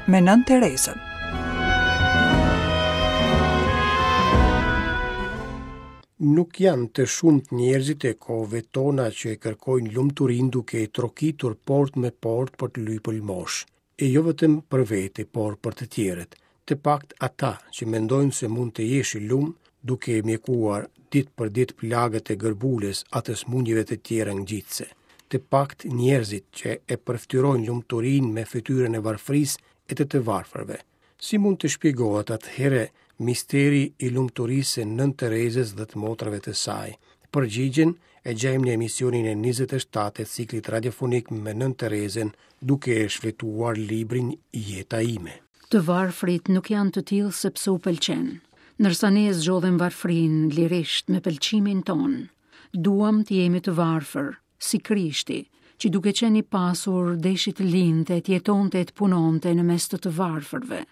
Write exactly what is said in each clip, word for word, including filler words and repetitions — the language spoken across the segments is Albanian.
me Nënë Terezën. Nuk janë të shumtë njerëzit e kohëve tona që e kërkojnë lumturinë duke e trokitur portë me portë për të lypur lëmoshë. E jo vetëm për vete, por për të tjerët. Të paktë ata që mendojnë se mund të jesh i lum duke e mjekuar ditë për ditë plagët e gërbulës atë sëmundjeve të tjera ngjitëse. Të paktë njerëzit që e përfytyrojnë lumturinë me fytyrën e varfërisë e të të varfërve. Si mund të shpjegohet atëherë misteri i lumturisë së Nënë Terezës dhe të motrave të saj? Përgjigjen e gjejmë në emisionin e njëzet e shtatë të ciklit radiofonik me Nënë Terezën, duke e shfletuar librin Jeta ime. Të varfrit nuk janë të tillë sepse u pëlqen, ndërsa ne zgjodhëm varfrinë lirisht me pëlqimin tonë. Duam të jemi të varfër, si Krishti, që duke qenë i pasur deshi të linte, të jetonte e të punonte në mes të të varfërve.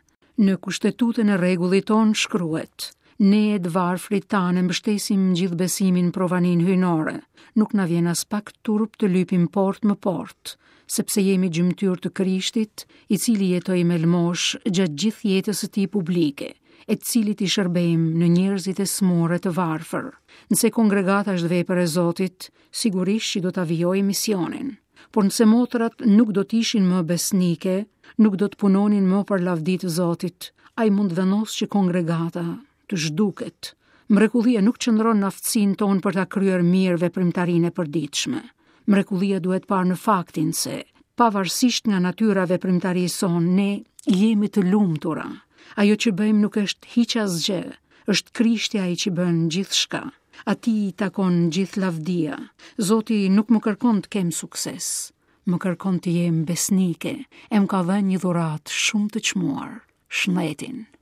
Në kushtetutën e rregullit ton shkruhet: ne të varfrit tanë mbështesim gjithë besimin provanin hyjnore. Nuk na vjen as pak turp të lypim port më port, sepse jemi gjymtyrë të Krishtit, i cili jetoi me lëmosh gjatë gjithë jetës së tij publike, e të cilit i shërbejmë në njerëzit e smurë të varfër. Nëse kongregata është vepër e Zotit, sigurisht që do ta vijojë misionin. Por nëse motrat nuk do të ishin më besnike, nuk do të punonin më për lavdi të Zotit, ai mund të vendosë që kongregata të zhduket. Mrekullia nuk qëndron në aftësinë tonë për ta kryer mirë veprimtarinë e përditshme. Mrekullia duhet parë në faktin se, pavarësisht nga natyra e veprimtarisë sonë, ne jemi të lumtura. Ajo që bëjmë nuk është hiç asgjë, është Krishti ai që bën gjithçka. Atij i takon gjithë lavdia. Zoti nuk më kërkon të kem sukses, më kërkon të jem besnike, e më ka dhënë një dhuratë shumë të çmuar, shëndetin.